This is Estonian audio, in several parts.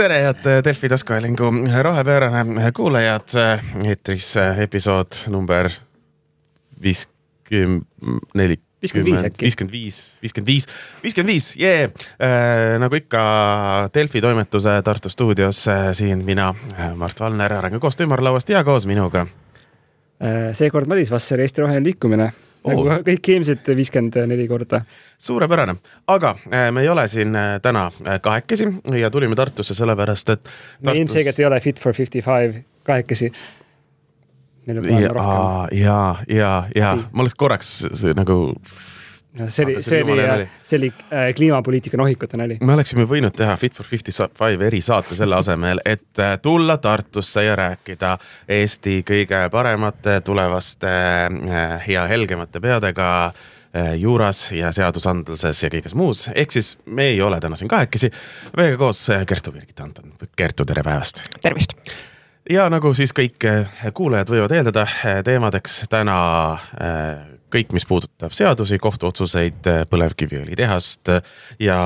Tere, head Delfi taskuhäälingu rohepöörane kuulajad. Eetris episood number 55, jee. Nagu ikka Delfi toimetuse Tartu stuudios siin mina, Mart Valner, arengukoostöö ümarlauast ja koos minuga. Seekord Madis Vasser, Eesti Roheline Liikumine. Nagu kõik eelmised 54 korda. Suurepärane. Aga me ei ole siin täna kahekesi ja tulime Tartusse sellepärast, et me ilmselgelt ei ole Fit for 55 kahekesi. Meil on vaja rohkem. Ja. Ma oleks korraks nagu... See oli kliimapoliitika nohikute näli. Me oleksime võinud teha Fit for 55 erisaate selle asemel, et tulla Tartusse ja rääkida Eesti kõige paremate tulevaste ja helgemate peadega juuras ja seadusandluses ja kõiges muus. Ehk siis me ei ole täna siin kahekesi. Meiega koos Kertu Birgit Anton. Kertu, tere päevast. Tervist. Ja nagu siis kõik kuulajad võivad eeldada teemadeks täna kõik, mis puudutab seadusi, kohtuotsuseid, põlevkiviõli tehast ja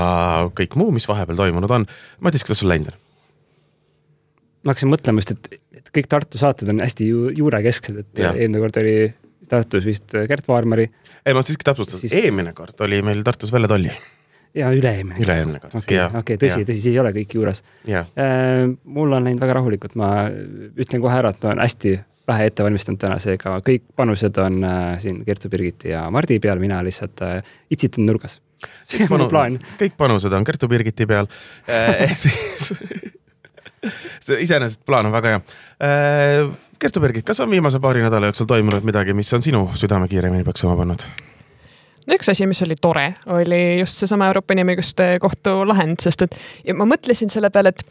kõik muu, mis vahepeal toimunud on. Madis, kuidas sul läinud on? Ma hakkasin mõtlema just, et kõik Tartu saated on hästi juurekesksed, et eelmine kord oli Tartus vist Gert Vaarmari. Ei, ma siiski täpsustan, eelmine kord oli meil Tartus Velle Tolli. Ja üle-eelmine kord. Okei, tõsi, siis ei ole kõik juures. Mul on läinud väga rahulikult, ma ütlen kohe ära, et on hästi vähe ette valmistanud täna, seega kõik panused on siin Kertu Birgiti ja Mardi peal, mina lihtsalt itsitan nurgas. See on plaan. Kõik panused on Kertu Birgiti peal. Siis iseenesest plaan on väga hea. Kertu Birgit, kas on viimase paari nädala jooksul toimunud midagi, mis on sinu südame kiiremini peaks oma pannud? No üks asi, mis oli tore, oli just seesama Euroopa Inimõiguste Kohtu lahend, sest et ja ma mõtlesin selle peale, et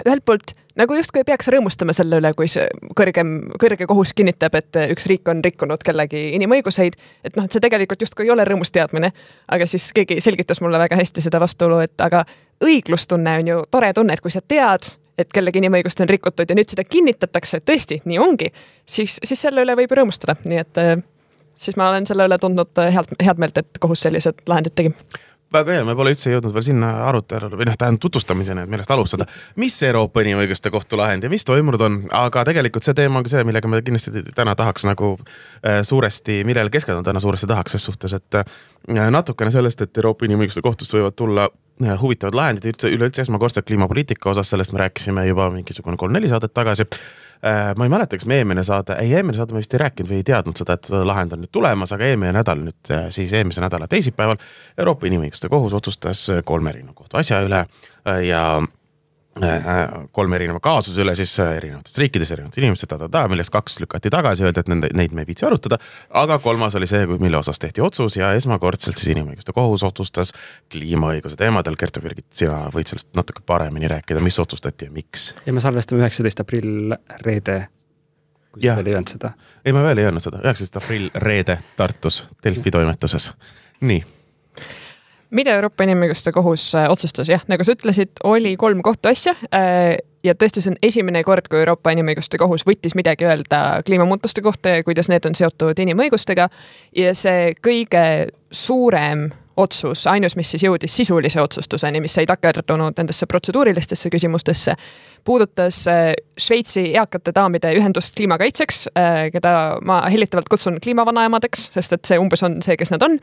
ühelt poolt nagu justkui ei peaks rõõmustama selle üle, kui see kõrge kohus kinnitab, et üks riik on rikkunud kellegi inimõiguseid, et noh, et see tegelikult justkui ei ole rõõmus teadmine, aga siis keegi selgitas mulle väga hästi seda vastuolu, et aga õiglustunne on ju tore tunne, et kui sa tead, et kellegi inimõigust on rikutud ja nüüd seda kinnitatakse, tõesti, nii ongi, siis selle üle võib rõõmustada, nii et siis ma olen selle üle tundnud head meelt, et kohus sellised lahendid tegi. Väga hea, me pole üldse jõudnud veel sinna arutelule või tähendab tutvustamiseni, et millest alustada. Mis Euroopa Inimõiguste Kohtu lahend ja mis toimunud on? Aga tegelikult see teema on see, millega me kindlasti täna tahaks nagu suuresti, millele keskenduda täna suuresti tahaks ses suhtes, et natukene sellest, et Euroopa Inimõiguste Kohtust võivad tulla huvitavad lahendid üleüldse esmakordselt kliimapoliitika osas, sellest me rääkisime juba mingisugune 3-4 saadet tagasi. Ma ei mäleta, kas me eelmine saade me vist ei rääkinud või ei teadnud seda, et lahend on nüüd tulemas, aga eelmise nädala teisipäeval Euroopa Inimõiguste Kohus otsustas 3 erineva kohtu asja üle ja 3 erineva kaasuse üle siis erinevatest riikides, erinevatest inimesed, millest 2 lükati tagasi, öelda, et neid me ei viitsi arutada, aga 3 oli see, mille osas tehti otsus ja esmakordselt siis Inimõiguste Kohus otsustas kliimaõiguse teemadel. Kertu Birgit, sina võid sellest natuke paremini rääkida, mis otsustati ja miks? Ja me salvestame 19. aprill reede, kui veel ei öelnud seda. Ei, ma veel ei öelnud seda. 19. aprill reede Tartus, Delfi toimetuses. Nii. Mida Euroopa Inimõiguste Kohus otsustas? Jah, nagu sa ütlesid, oli 3 kohtuasja ja tõesti see on esimene kord, kui Euroopa Inimõiguste Kohus võttis midagi öelda kliimamuutuste kohta ja kuidas need on seotud inimõigustega ja see kõige suurem otsus, ainus, mis siis jõudis sisulise otsustuseni, mis ei takerdunud nendesse protseduurilistesse küsimustesse, puudutas Šveitsi eakate daamide ühendust kliimakaitseks, keda ma hellitavalt kutsun kliimavanaemadeks, sest et see umbes on see, kes nad on.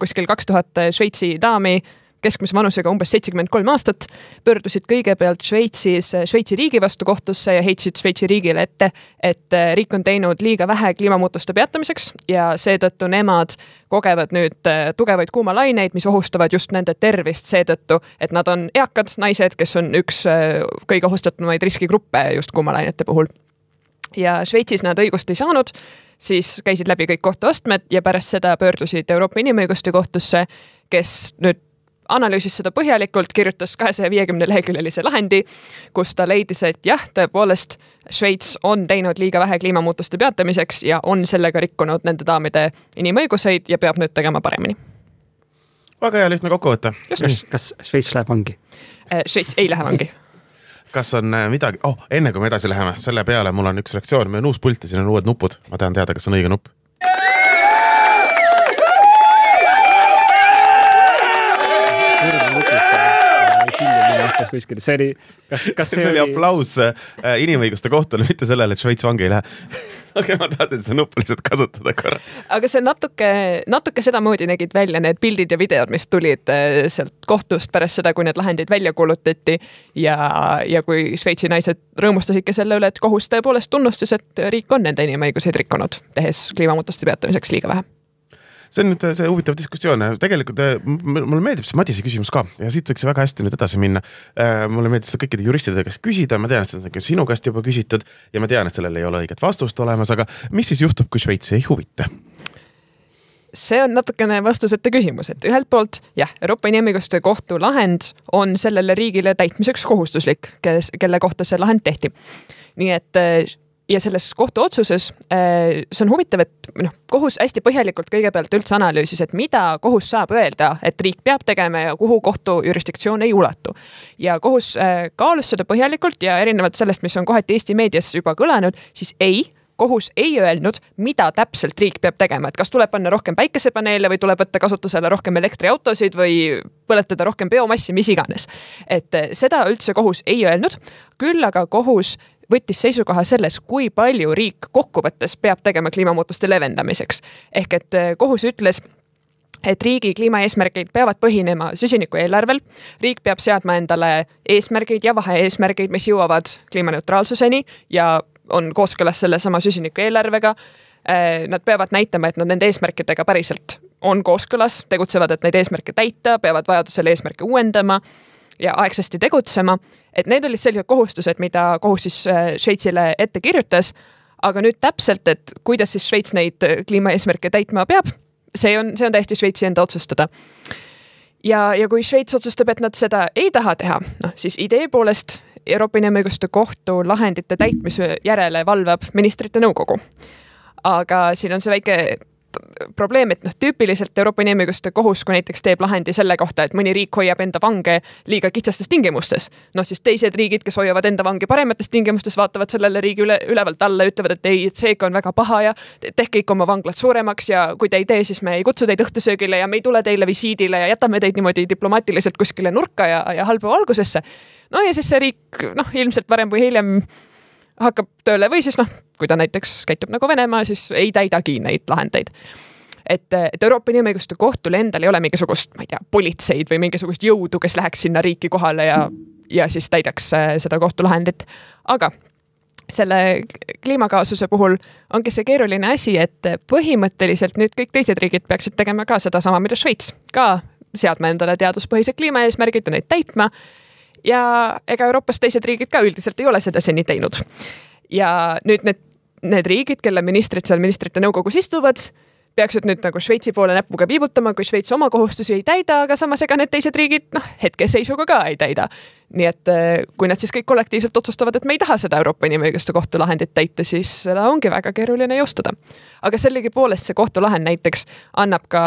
Kuskil 2000 Šveitsi daami keskmise vanusega umbes 73 aastat, pöördusid kõigepealt Šveitsi riigi vastu kohtusse ja heitsid Šveitsi riigile ette, et riik on teinud liiga vähe kliimamuutuste peatamiseks ja seetõttu nemad kogevad nüüd tugevaid kuumalaineid, mis ohustavad just nende tervist seetõttu, et nad on eakad naised, kes on üks kõige ohustatumaid riskigruppe just kuumalainete puhul. Ja Šveitsis nad õigust ei saanud, siis käisid läbi kõik kohtuastmed ja pärast seda pöördusid Euroopa Inimõiguste Kohtusse, kes nüüd analüüsis seda põhjalikult, kirjutas 250 leheküljelise lahendi, kus ta leidis, et jah, tõepoolest Šveits on teinud liiga vähe kliimamuutuste peatamiseks ja on sellega rikkunud nende daamide inimõiguseid ja peab nüüd tegema paremini. Väga hea lihtne kokkuvõte. Kas Šveits läheb vangi? Šveits ei lähe vangi. Kas on midagi? Enne kui me edasi läheme, selle peale mul on üks reaktsioon, meil on uus pult ja siin on uued nupud. Ma tahan teada, kas on õige nupp. kirjutas kuskil, see oli, kas see oli aplaus inimõiguste kohtule, mitte sellele, et Šveits vangi ei lähe. Aga ma tahtsin seda nuppu lihtsalt kasutada korra. Aga see natuke sedamoodi nägid välja need pildid ja videod, mis tulid sealt kohtust pärast seda, kui need lahendid välja kuulutati ja kui Šveitsi naised rõõmustasidki selle üle, et kohus tõepoolest tunnustas, et riik on nende inimõiguseid rikkunud, tehes kliimamuutuste peatamiseks liiga vähe. See on nüüd see huvitav diskussioon. Tegelikult mulle meeldib see Madise küsimus ka ja siit võiks väga hästi nüüd edasi minna. Mulle meeldib seda kõikide juristide käest küsida, ma tean, et seda on sinu käest juba küsitud ja ma tean, et sellel ei ole õiget vastust olemas, aga mis siis juhtub, kui Šveitsi ei huvita? See on natukene vastusete küsimus, et ühelt poolt jah, Euroopa Inimõiguste Kohtu lahend on sellele riigile täitmiseks kohustuslik, kelle kohta see lahend tehti. Nii et ja selles kohtu otsuses see on huvitav, et kohus hästi põhjalikult kõigepealt üldse analüüsis, et mida kohus saab öelda, et riik peab tegema ja kuhu kohtu jurisdiktsioon ei ulatu. Ja kohus kaalus seda põhjalikult ja erinevalt sellest, mis on kohati Eesti meedias juba kõlanud, siis kohus ei öelnud, mida täpselt riik peab tegema, et kas tuleb panna rohkem päikesepaneele või tuleb võtta kasutusele rohkem elektriautosid või põletada rohkem biomassi, mis iganes. Et seda üldse kohus ei öelnud, küll aga kohus võttis seisukoha selles, kui palju riik kokkuvõttes peab tegema kliimamuutuste leevendamiseks. Ehk et kohus ütles, et riigi kliimaeesmärgid peavad põhinema süsiniku eelarvel, riik peab seadma endale eesmärgid ja vahe-eesmärgid, mis jõuavad kliimaneutraalsuseni ja on kooskõlas selle sama süsiniku eelarvega. Nad peavad näitama, et nad nende eesmärkidega päriselt on kooskõlas, tegutsevad, et neid eesmärke täita, peavad vajadusel eesmärke uuendama ja aegsasti tegutsema, et need olid sellised kohustused, mida kohus siis Šveitsile ette kirjutas, aga nüüd täpselt, et kuidas siis Šveits neid kliimaeesmärke täitma peab, see on täiesti Šveitsi enda otsustada. Ja kui Šveits otsustab, et nad seda ei taha teha, siis idee poolest Euroopa Inimõiguste Kohtu lahendite täitmise järele valvab ministrite nõukogu. Aga siin on see väike probleem, et tüüpiliselt Euroopa Inimõiguste Kohus, kui näiteks teeb lahendi selle kohta, et mõni riik hoiab enda vange liiga kitsastes tingimustes, siis teised riigid, kes hoiavad enda vange paremates tingimustes, vaatavad sellele riigi ülevalt alla ja ütlevad, et ei, et seega on väga paha ja tehke ikka oma vanglat suuremaks ja kui te ei tee, siis me ei kutsu teid õhtusöögile ja me ei tule teile visiidile ja jätame teid niimoodi diplomaatiliselt kuskile nurka ja halba algusesse. No ja siis see riik ilmselt varem või hiljem hakkab tööle või siis kui ta näiteks käitub nagu Venemaa, siis ei täidagi neid lahendeid. Et Euroopa Inimõiguste Kohtul endal ei ole mingisugust, ma ei tea, politseid või mingisugust jõudu, kes läheks sinna riiki kohale ja siis täidaks seda kohtulahendit. Aga selle kliimakaasuse puhul ongi see keeruline asi, et põhimõtteliselt nüüd kõik teised riigid peaksid tegema ka seda sama, mida Šveits, ka seadma endale teaduspõhised kliimaeesmärgid ja neid täitma. Ja ega Euroopas teised riigid ka üldiselt ei ole seda seni teinud. Ja nüüd need riigid, kelle ministrid seal ministrite nõukogus istuvad, peaksid nüüd nagu Šveitsi poole näpuga viibutama, kui Šveits oma kohustusi ei täida, aga samas ega need teised riigid hetkeseisuga ka ei täida. Nii et kui nad siis kõik kollektiivselt otsustavad, et me ei taha seda Euroopa Inimõiguste Kohtu lahendit täita, siis seda ongi väga keeruline jõustada. Aga sellegi poolest see kohtulahend näiteks annab ka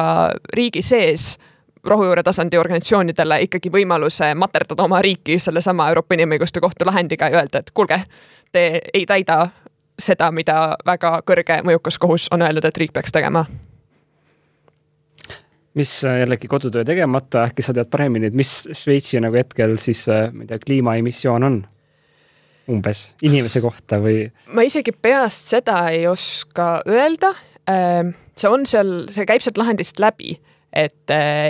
riigi sees rohujuure tasandi organisatsioonidele ikkagi võimaluse materdada oma riiki selle sama Euroopa Inimõiguste Kohtu lahendiga ja öelda, et kuulge, te ei täida seda, mida väga kõrge mõjukas kohus on öelnud, et riik peaks tegema. Mis jällegi kodutöö tegemata, äkki sa tead paremini, et mis Šveitsi nagu hetkel siis kliimaemissioon on umbes inimese kohta või? Ma isegi peast seda ei oska öelda. See käib sealt lahendist läbi.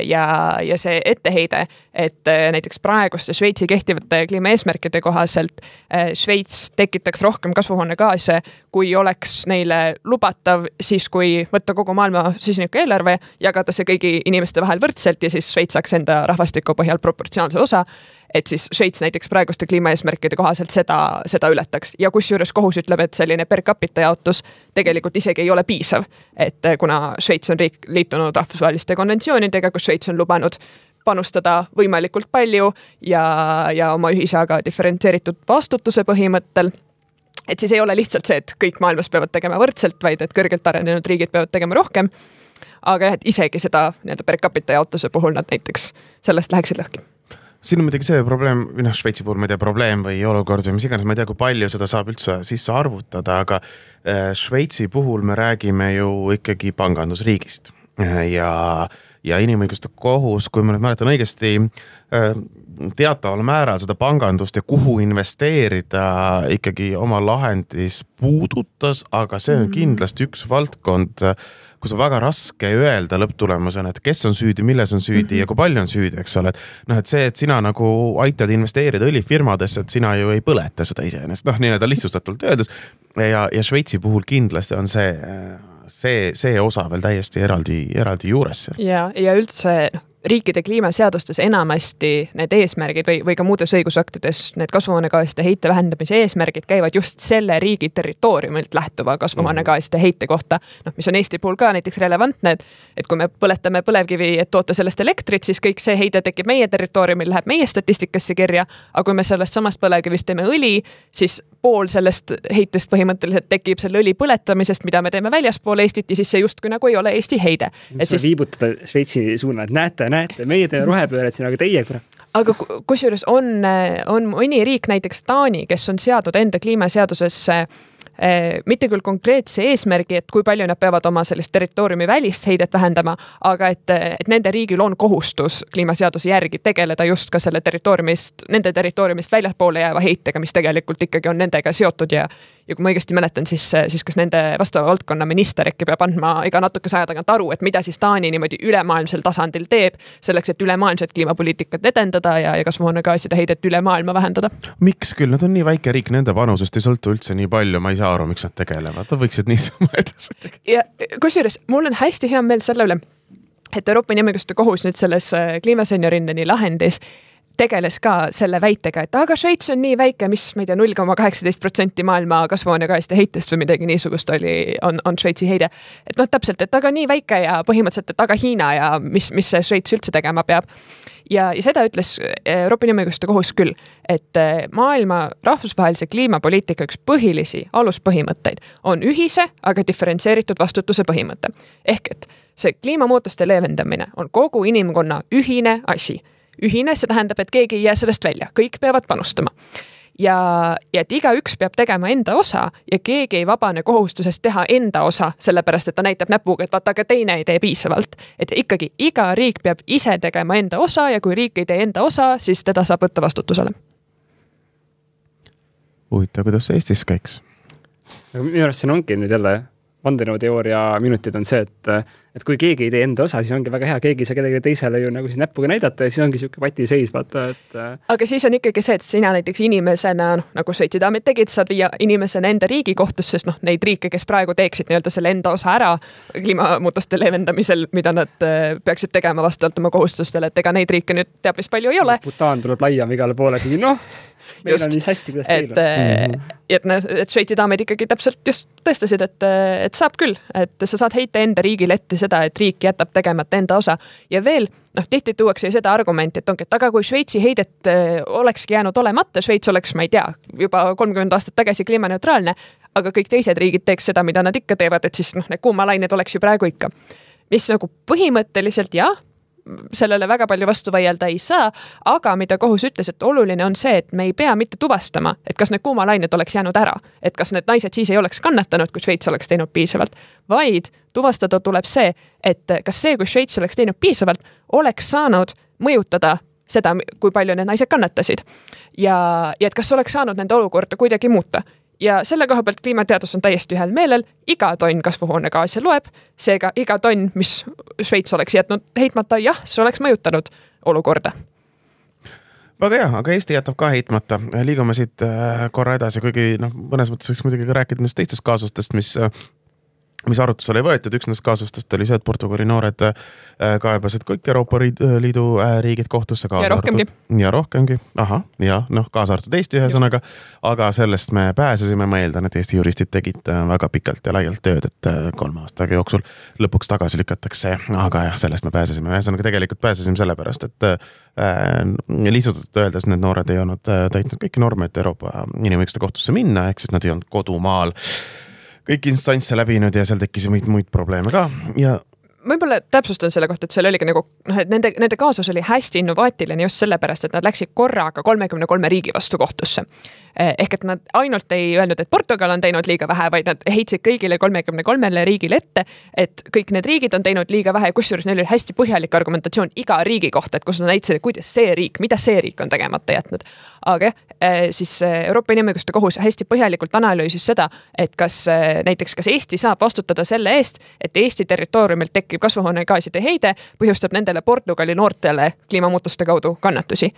Ja see etteheide, et näiteks praeguste Šveitsi kehtivate kliimaeesmärkide kohaselt Šveits tekitaks rohkem kasvuhoonegaase, kui oleks neile lubatav siis, kui võtta kogu maailma süsiniku eelarve, jagada see kõigi inimeste vahel võrdselt ja siis Šveits saaks enda rahvastiku põhjal proportsionaalse osa, et siis Šveits näiteks praeguste kliimaeesmärkide kohaselt seda ületaks. Ja kusjuures kohus ütleb, et selline per capita jaotus tegelikult isegi ei ole piisav, et kuna Šveits on liitunud rahvusvaheliste konventsioonidega, kus Šveits on lubanud panustada võimalikult palju ja oma ühisaga diferentseeritud vastutuse põhimõttel, et siis ei ole lihtsalt see, et kõik maailmas peavad tegema võrdselt, vaid et kõrgelt arenenud riigid peavad tegema rohkem, aga et isegi seda per capita jaotuse puhul nad näiteks sellest läheksid lõhki. Siin on muidugi see probleem, Šveitsi puhul ma ei tea probleem või olukord või mis iganes, ma ei tea, kui palju seda saab üldse sisse arvutada, aga Šveitsi puhul me räägime ju ikkagi pangandusriigist. ja inimõiguste kohus, kui ma nüüd mäletan õigesti, teataval määral seda pangandust ja kuhu investeerida ikkagi oma lahendis puudutas, aga see on kindlasti üks valdkond, kus on väga raske öelda lõpptulemusena, et kes on süüdi, milles on süüdi ja kui palju on süüdi, eks ole. Et see, et sina nagu aitad investeerida õlifirmadesse, et sina ju ei põleta seda iseenesest, nii-öelda lihtsustatult öeldes. Ja Šveitsi puhul kindlasti on see osa veel täiesti eraldi juures. Ja üldse riikide kliimaseadustes enamasti need eesmärgid või ka muudes õigusaktides need kasvuhoonegaaside heite vähendamise eesmärgid käivad just selle riigi territooriumilt lähtuva kasvuhoonegaaside heite kohta, mis on Eesti puhul ka näiteks relevantne, et kui me põletame põlevkivi, et toota sellest elektrit, siis kõik see heide tekib meie territooriumil, läheb meie statistikasse kirja, aga kui me sellest samast põlevkivist teeme õli, siis pool sellest heitest põhimõtteliselt tekib selle õli põletamisest, mida me teeme väljaspool Eestit ja siis see justkui nagu ei ole Eesti heide. Et siis viibutada Šveitsi suuna, et näete, meie teeme rohepööret siin, aga teie kurat. Aga kusjuures on mõni riik, näiteks Taani, kes on seadnud enda kliimaseadusesse mitte küll konkreetse eesmärgi, et kui palju nad peavad oma sellist territooriumi välist heidet vähendama, aga et nende riigil on kohustus kliimaseaduse järgi tegeleda just ka selle nende territooriumist väljaspoole jääva heitega, mis tegelikult ikkagi on nendega seotud ja kui ma õigesti mäletan, siis kas nende vastava valdkonna minister äkki peab andma iga natukese aja tagant aru, et mida siis Taani niimoodi ülemaailmsel tasandil teeb, selleks, et ülemaailmset kliimapoliitikat edendada ja kasvuhoonegaaside heidet üle maailma vähendada. Miks küll? Nad on nii väike riik, nende panusest ei sõltu üldse nii palju, ma ei saa aru, miks nad tegelevad. Nad võiksid niisama edasi tegeleda. Ja kusjuures mul on hästi hea meel selle üle, et Euroopa Inimõiguste Kohus nüüd selles kliimaseniorindeni lahendis tegeles ka selle väitega, et aga Šveits on nii väike, mis ma ei tea, 0,18% maailma kasvuhoonegaaside heitest või midagi niisugust on Šveitsi heide. Et täpselt, et aga nii väike ja põhimõtteliselt, et aga Hiina ja mis see Šveits üldse tegema peab. Ja seda ütles Euroopa Inimõiguste Kohus küll, et maailma rahvusvahelise kliimapoliitika üks põhilisi aluspõhimõtteid on ühise, aga diferentseeritud vastutuse põhimõte. Ehk et see kliimamuutuste leevendamine on kogu inimkonna ühine asi. Ühine, see tähendab, et keegi ei jää sellest välja, kõik peavad panustama. Ja et igaüks peab tegema enda osa ja keegi ei vabane kohustusest teha enda osa, sellepärast, et ta näitab näpuga, et vaata, aga teine ei tee piisavalt. Et ikkagi iga riik peab ise tegema enda osa ja kui riik ei tee enda osa, siis teda saab võtta vastutusele. Huvitav, kuidas see Eestis käiks? Minu arust siin ongi nüüd jälle vandenõuteooria minutid on see, et kui keegi ei tee enda osa, siis ongi väga hea, keegi ei saa kedagi teisele ju nagu siis näpuga näidata ja siis ongi siuke pati seis, vaata, et... Aga siis on ikkagi see, et sina näiteks inimesena, nagu Šveitsi daamid tegid, saad viia inimesena enda riigi kohtusse, sest neid riike, kes praegu teeksid nii-öelda selle enda osa ära kliimamuutuste leevendamisel, mida nad peaksid tegema vastavalt oma kohustustele, et ega neid riike nüüd teab, mis palju ei ole. Butaan tuleb laiam igale poole, kui meil on nii hästi, kuidas teil on. Et Šveitsi daamid ikkagi täpselt just tõestasid, et saab küll, et sa saad heita enda riigile ette seda, et riik jätab tegemata enda osa. Ja veel, tihti tuuakse seda argumenti, et aga kui Šveitsi heidet olekski jäänud olemata, Šveits oleks, ma ei tea, juba 30 aastat tagasi kliimaneutraalne, aga kõik teised riigid teeks seda, mida nad ikka teevad, et siis need kuumalained oleks ju praegu ikka. Mis nagu põhimõtteliselt jah, sellele väga palju vastu vaielda ei saa, aga mida kohus ütles, et oluline on see, et me ei pea mitte tuvastama, et kas need kuumalained oleks jäänud ära, et kas need naised siis ei oleks kannatanud, kui Šveits oleks teinud piisavalt, vaid tuvastada tuleb see, et kas see, kui Šveits oleks teinud piisavalt, oleks saanud mõjutada seda, kui palju need naised kannatasid ja et kas oleks saanud nende olukorda kuidagi muuta. Ja selle koha pealt kliimateadus on täiesti ühel meelel, iga tonn kasvuhoonegaasi loeb, seega iga tonn, mis Šveits oleks jätnud heitmata, jah, see oleks mõjutanud olukorda. Väga hea, aga Eesti jätab ka heitmata. Liigume siit korra edasi, kuigi mõnes mõttes võiks muidugi rääkida teistest kaasustest, mis arutusele ei võetud. Üks nendest kaasustest oli see, et Portugali noored kaebasid kõik Euroopa Liidu riigid kohtusse. Ja rohkemgi. Aha, ja kaasa arvatud Eesti ühesõnaga. Aga sellest me pääsesime. Ma eeldan, et Eesti juristid tegid väga pikalt ja laialt tööd, et 3 aastaga jooksul lõpuks tagasi lükatakse. Aga jah, sellest me pääsesime. Ühesõnaga tegelikult pääsesime sellepärast, et lihtsalt öeldes need noored ei olnud täitnud kõiki norme, et Euroopa Inimõiguste Kohtusse minna, ehk siis nad ei olnud kodumaal kõik instantse läbinud ja seal tekkis muid probleeme ka ja võib-olla täpsustan selle kohta, et seal oli ka nagu, et nende kaasus oli hästi innovaatiline just sellepärast, et nad läksid korraga 33 riigi vastu kohtusse. Ehk et nad ainult ei öelnud, et Portugal on teinud liiga vähe, vaid nad heitsid kõigile 33 riigile ette, et kõik need riigid on teinud liiga vähe, kusjuures neil oli hästi põhjalik argumentatsioon iga riigi kohta, et kus nad näitasid, kuidas mida see riik on tegemata jätnud. Aga siis Euroopa Inimõiguste Kohus hästi põhjalikult analüüsis seda, et kas Eesti saab vastutada selle eest, et Eesti territooriumilt tekib kasvuhoonegaaside heide, põhjustab nendele Portugali noortele kliimamuutuste kaudu kannatusi.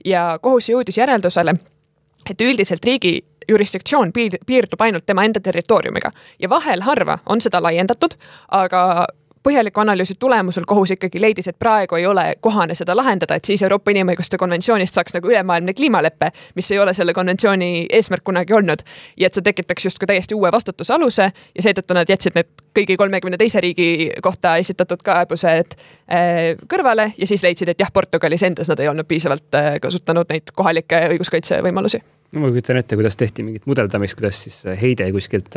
Ja kohus jõudis järeldusele, et üldiselt riigi jurisdiktsioon piirdub ainult tema enda territooriumiga ja vahel harva on seda laiendatud, aga põhjaliku analüüsi tulemusel kohus ikkagi leidis, et praegu ei ole kohane seda lahendada, et siis Euroopa Inimõiguste konventsioonist saaks nagu ülemaailmne kliimaleppe, mis ei ole selle konventsiooni eesmärk kunagi olnud. Ja et see tekitaks justkui täiesti uue vastutusaluse ja seetõttu nad jätsid need kõigi 32 riigi kohta esitatud kaebused kõrvale ja siis leidsid, et jah, Portugalis endas nad ei olnud piisavalt kasutanud neid kohalikke õiguskaitse võimalusi. Ma kujutan ette, kuidas tehti mingit mudeldamist, kuidas siis heide kuskilt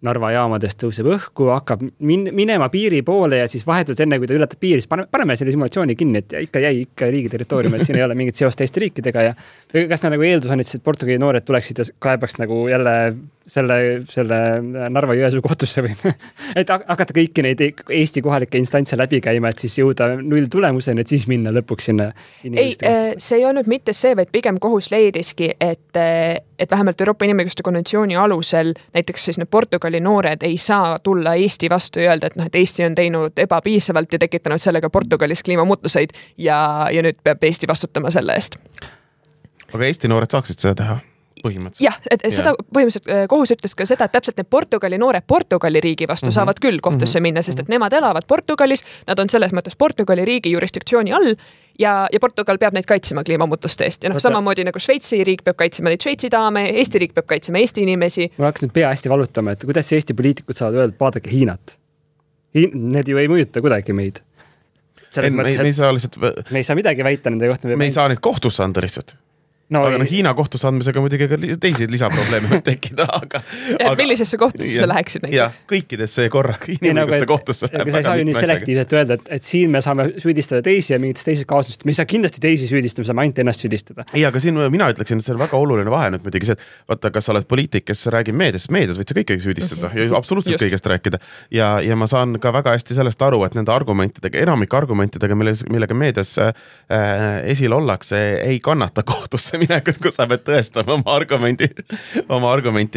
Narva jaamadest tõuseb õhku, hakkab minema piiri poole ja siis vahetult enne, kui ta ületab piiri, siis paneme selle simulatsiooni kinni, et ikka jäi riigi territoorium, et siin ei ole mingit seost teiste riikidega ja kas nagu eeldus on, et Portugali noored tuleksid ja kaebaks nagu jälle selle Narva Jõesuu kohtusse või et hakata kõiki neid Eesti kohalikke instantse läbi käima, et siis jõuda null tulemuseni, et siis minna lõpuks sinna. Ei, see ei olnud mitte see, vaid pigem kohus leidiski, et vähemalt Euroopa Inimõiguste konventsiooni alusel näiteks siis need Portugali noored ei saa tulla Eesti vastu ja öelda, et Eesti on teinud ebapiisavalt ja tekitanud sellega Portugalis kliimamuutuseid ja nüüd peab Eesti vastutama selle eest. Aga Eesti noored saaksid seda teha? Jah, et seda põhimõtteliselt kohus ütles ka seda, et täpselt need Portugali noored Portugali riigi vastu saavad küll kohtusse minna, sest et nemad elavad Portugalis, nad on selles mõttes Portugali riigi jurisdiktsiooni all ja Portugal peab neid kaitsema kliimamuutuste eest. Ja samamoodi nagu Šveitsi riik peab kaitsema neid Šveitsi daame, Eesti riik peab kaitsema Eesti inimesi. Ma hakkas nüüd pea hästi valutama, et kuidas Eesti poliitikud saavad öelda, vaadake Hiinat. Need ju ei mõjuta kuidagi meid. Me ei saa midagi väita nende kohta. Me ei saa neid kohtusse anda lihtsalt. No, aga Hiina kohtusse andmisega muidugi ka teisi lisaprobleeme võib tekkida, aga millisesse kohtusse sa läheksid näiteks? Jah, kõikidesse korraga inimõiguste kohtusse läheb. Sa ei saa ju nii selektiivselt öelda, et siin me saame süüdistada teisi ja mingites teises kaasusest. Me ei saa kindlasti teisi süüdistada, me saame ainult ennast süüdistada. Ei, aga siin mina ütleksin, et see on väga oluline vahe nüüd muidugi see, et vaata, kas sa oled poliitik, kes räägib meedias võid sa kõikegi süüdistada ja absoluutselt kõigest rääkida. Ja ma saan ka väga hästi sellest aru, et nende argumentidega, enamik argumentidega, millega meedias esil ollakse, ei kannata kohtusse minekut, kus sa pead tõestama oma argumenti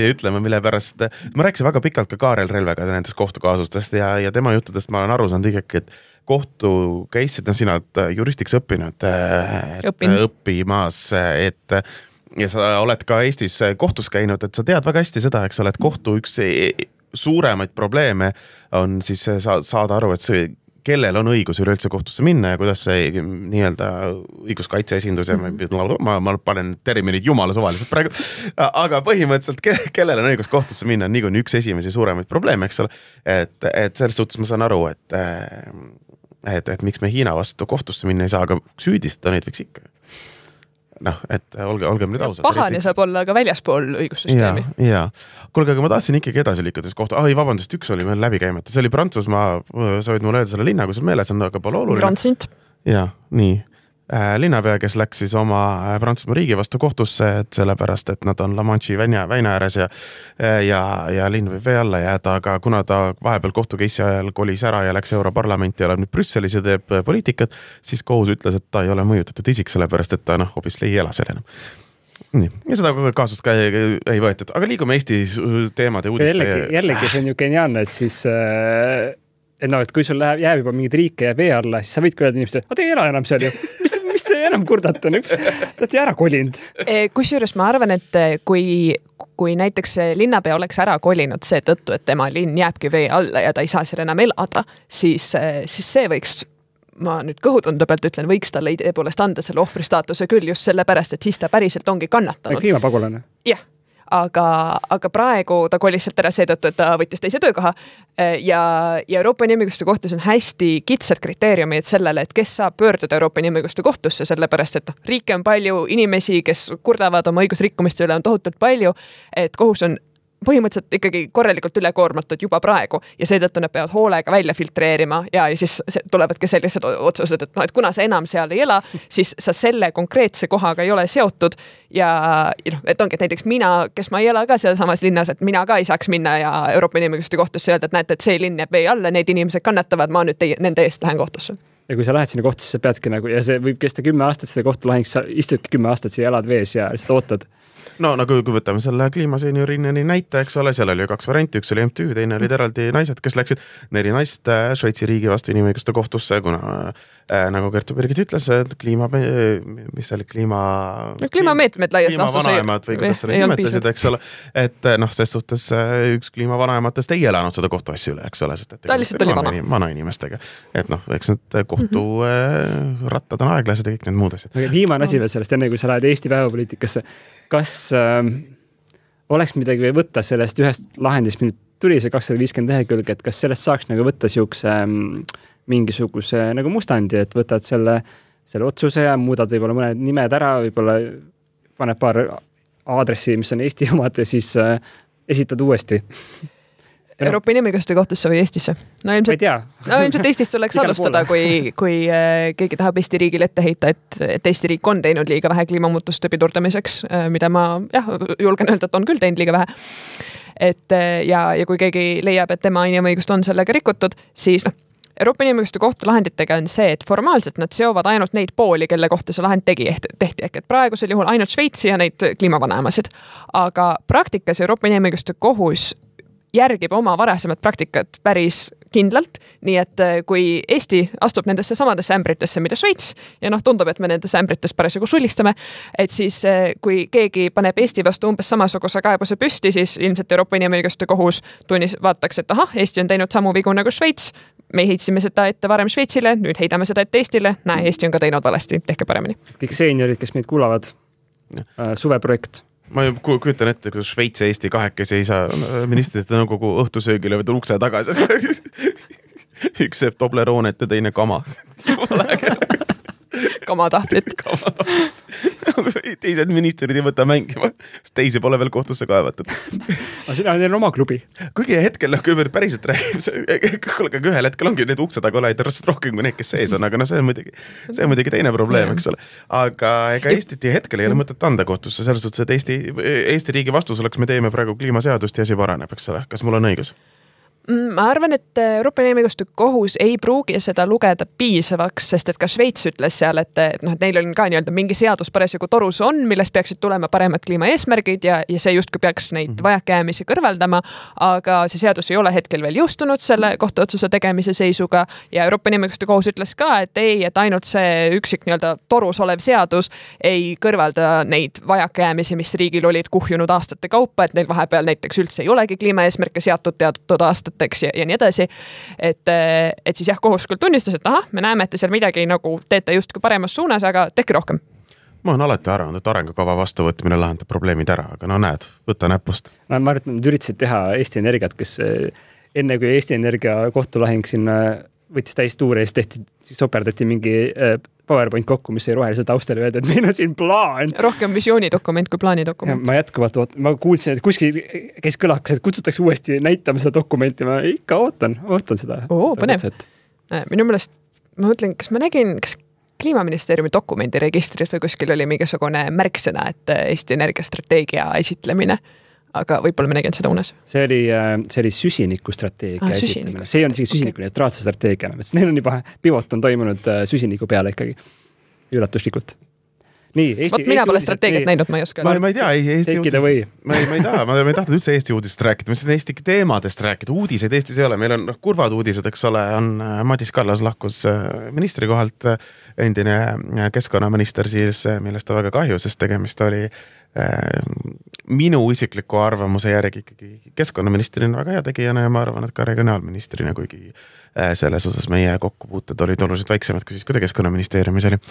ja ütlema, mille pärast ma rääkisin väga pikalt ka Kaarel Relvega nendest kohtukaasustest ja tema juttudest ma olen aru saanud ikkagi, et kohtu käisid sina juristiks õppimas, ja sa oled ka Eestis kohtus käinud, et sa tead väga hästi seda, eks sa oled kohtu üks suuremaid probleeme on siis saada aru, et see kellel on õigus üleüldse kohtusse minna ja kuidas see nii-öelda õiguskaitse esindus ja ma panen terminid jumala suvaliselt praegu, aga põhimõtteliselt kellel on õigus kohtusse minna on niikuinii üks esimesi suuremaid probleeme, eks ole, et selles suhtes ma saan aru, et miks me Hiina vastu kohtusse minna ei saa, aga süüdistada neid võiks ikka. Et olgem nüüd ausad. Pahane saab olla ka väljaspool õigussüsteemi. Ja. Kuulge, aga ma tahtsin ikkagi edasi liikudes kohta. Vabandust, üks oli meil läbi käimata. See oli Prantsusmaa, sa võid mulle öelda selle linna, kui sul meeles on, aga pole oluline. Grand-Sint. Ja, nii. Linnapea, kes läks siis oma Prantsusmaa riigi vastu kohtusse, et sellepärast, et nad on La Manche'i väina ääres ja linn võib vee alla jääda, aga kuna ta vahepeal kohtukeissi ajal kolis ära ja läks Europarlamenti ja oleb nüüd Brüsselis ja teeb poliitikat, siis kohus ütles, et ta ei ole mõjutatud isik, sellepärast, et ta hoopis ei ela seal enam. Nii. Ja seda kaasust ka ei võetud, aga liigume Eesti teemade uudiste. Jällegi see on ju geniaalne, et siis et kui sul jääb juba mingid riike ja vee alla, siis sa võid öelda inimestele, te ei ela enam seal ju. Mis te enam kurdate? Te olete ära kolinud. Kusjuures ma arvan, et kui näiteks linnapea oleks ära kolinud see tõttu, et tema linn jääbki vee alla ja ta ei saa seal enam elada, siis see võiks, ma nüüd kõhutunde pealt ütlen, võiks talle idee poolest anda selle ohvristaatuse küll just sellepärast, et siis ta päriselt ongi kannatanud. Kliimapagulane. Jah. Aga praegu ta kolis sealt ära seetõttu, et ta võttis teise töökoha ja Euroopa Inimõiguste kohtus on hästi kitsad kriteeriumid sellele, et kes saab pöörduda Euroopa Inimõiguste kohtusse, sellepärast, et riike on palju, inimesi, kes kurdavad oma õigusrikkumiste üle on tohutult palju, et kohus on põhimõtteliselt ikkagi korralikult ülekoormatud juba praegu ja seetõttu nad peavad hoolega välja filtreerima ja siis tulevadki sellised otsused, et et kuna sa enam seal ei ela, siis sa selle konkreetse kohaga ei ole seotud ja et ongi, et näiteks mina, kes ma ei ela ka seal samas linnas, et mina ka ei saaks minna ja Euroopa Inimõiguste Kohtusse öelda, et näete, et see linn jääb vee alla, need inimesed kannatavad, ma nüüd nende eest lähen kohtusse. Ja kui sa lähed sinna kohtusse, sa peadki nagu, ja see võib kesta 10 aastat, see kohtulahing, sa istudki 10 aastat siia, elad vees ja lihtsalt ootad. No nagu kui võtame selle kliimaseniorini näite, eks ole, seal oli 2 varianti, üks oli MTÜ, teine olid eraldi naised, kes läksid 4 naist Šveitsi riigi vastu inimõiguste kohtusse, kuna nagu Kertu Birgit ütles, et mis see oli, kliimameetmed laias laastus kliimavanaemad või kuidas sa neid nimetasid, eks ole, et ses suhtes üks kliimavanaematest ei elanud seda kohtuasja üle, eks ole, sest et ta lihtsalt oli vana inimestega, et eks need kohtu rattad on aeglased ja kõik need muud asjad. Viimane asi veel sellest, enne kui sa lähed Eesti päevapoliitikasse, kas oleks midagi või võtta sellest ühest lahendist, nüüd tuli see 250 lehekülge, et kas sellest saaks nagu võtta siukse mingisuguse nagu mustandi, et võtad selle otsuse ja muudad võib-olla mõned nimed ära, võib-olla paned paar aadressi, mis on Eesti omad ja siis esitad uuesti. Euroopa Inimõiguste Kohtusse või Eestisse? No ilmselt Eestist tuleks alustada, kui keegi tahab Eesti riigile ette heita, et Eesti riik on teinud liiga vähe kliimamuutuste pidurdamiseks, mida ma julgen öelda, et on küll teinud liiga vähe. Ja kui keegi leiab, et tema inimõigust on sellega rikutud, siis Euroopa Inimõiguste Kohtu lahenditega on see, et formaalselt nad seovad ainult neid pooli, kelle kohta see lahend tehti, ehk et praegusel juhul ainult Šveitsi ja neid kliimavanaemasid. Aga praktikas Euroopa Inimõiguste Kohus järgib oma varasemat praktikat päris kindlalt, nii et kui Eesti astub nendesse samadesse ämbritesse, mida Šveits, ja tundub, et me nendesse ämbritesse parasjagu sulistame, et siis kui keegi paneb Eesti vastu umbes samasuguse kaebuse püsti, siis ilmselt Euroopa Inimõiguste Kohus vaataks, et Eesti on teinud samu vigu nagu Šveits, me heitsime seda ette varem Šveitsile, nüüd heidame seda ette Eestile, Eesti on ka teinud valesti, tehke paremini. Kõik seeniorid, kes meid kuulavad, suveprojekt. Ma kujutan ette, kui Šveits ja Eesti kahekesi ei saa ministrite nõukogu õhtusöögile või ukse tagasi. Üks seeb Tobleroonet ja teine kama. Kamatahtlit. Teised ministrid ei võta mängima, sest teisi pole veel kohtusse kaevatud. Aga sina on oma klubi. Kuigi hetkel, kui päriselt räägib, ühel hetkel ongi need ukse taga oleid rohkem kui need, kes sees on, aga see on muidugi teine probleem, eks ole. Aga ega Eestit hetkel ei ole mõtet anda kohtusse, selles suhtes, et Eesti riigi vastus oleks, me teeme praegu kliimaseadust ja asi paraneb, eks ole. Kas mul on õigus? Ma arvan, et Euroopa Inimõiguste Kohus ei pruugi seda lugeda piisavaks, sest et ka Šveits ütles seal, et neil on ka mingi seadus parasjagu torus on, millest peaksid tulema paremad kliimaeesmärgid ja see justkui peaks neid vajakäämisi kõrvaldama, aga see seadus ei ole hetkel veel jõustunud selle kohtuotsuse tegemise seisuga ja Euroopa Inimõiguste Kohus ütles ka, et ainult see üksik torus olev seadus ei kõrvalda neid vajakäämisi, mis riigil olid kuhjunud aastate kaupa, et neil vahepeal näiteks üldse ei olegi kliimaeesmärke seatud teatud aastat ja nii edasi, et siis kohus küll tunnistas, et me näeme, et te seal midagi teete justkui paremas suunas, aga tehke rohkem. Ma olen alati arvanud, et arengukava vastuvõtmine lahendab probleemid ära, aga näed, võta näpust. Ma arvan, et nad üritasid teha Eesti Energiat, kes enne kui Eesti Energia kohtulahing sinna võttis täis tuure ja siis soperdati mingi PowerPoint kokku, mis ei rohelisel taustal öelda, et meil on siin plaan. Rohkem visioonidokument kui plaanidokument. Ma jätkuvalt ma kuulsin, et kuskil käis kõlakas, et kutsutakse uuesti näitama seda dokumenti. Ma ikka ootan seda. Põnev. Minu meelest, ma mõtlen, kas ma nägin, kas Kliimaministeeriumi dokumendiregistris või kuskil oli mingisugune märksõna, et Eesti Energiastrateegia esitlemine. Aga võib-olla me nägin seda unes. See oli süsinikustrateegia esitlemine. See on süsiniku neutraalse strateegia. Neil on juba pivot on toimunud süsiniku peale ikkagi üllatuslikult. Mina pole strateegiat näinud, ma ei oska. Ma ei tea, Eesti uudist. Ma ei tahtnud üldse Eesti uudist rääkida, ma siin Eesti teemadest rääkida. Uudiseid Eestis ei ole, meil on kurvad uudised, eks ole, on Madis Kallas lahkus ministri kohalt, endine keskkonnaminister siis, millest ta väga kahju, sest tegemist oli minu isikliku arvamuse järgi ikkagi keskkonnaministrina väga hea tegijana ja ma arvan, et ka regionaalministrina, kuigi selles osas meie kokkupuuted olid oluliselt väiksemad, kui siis kui ta keskkonnaministeeriumis oli.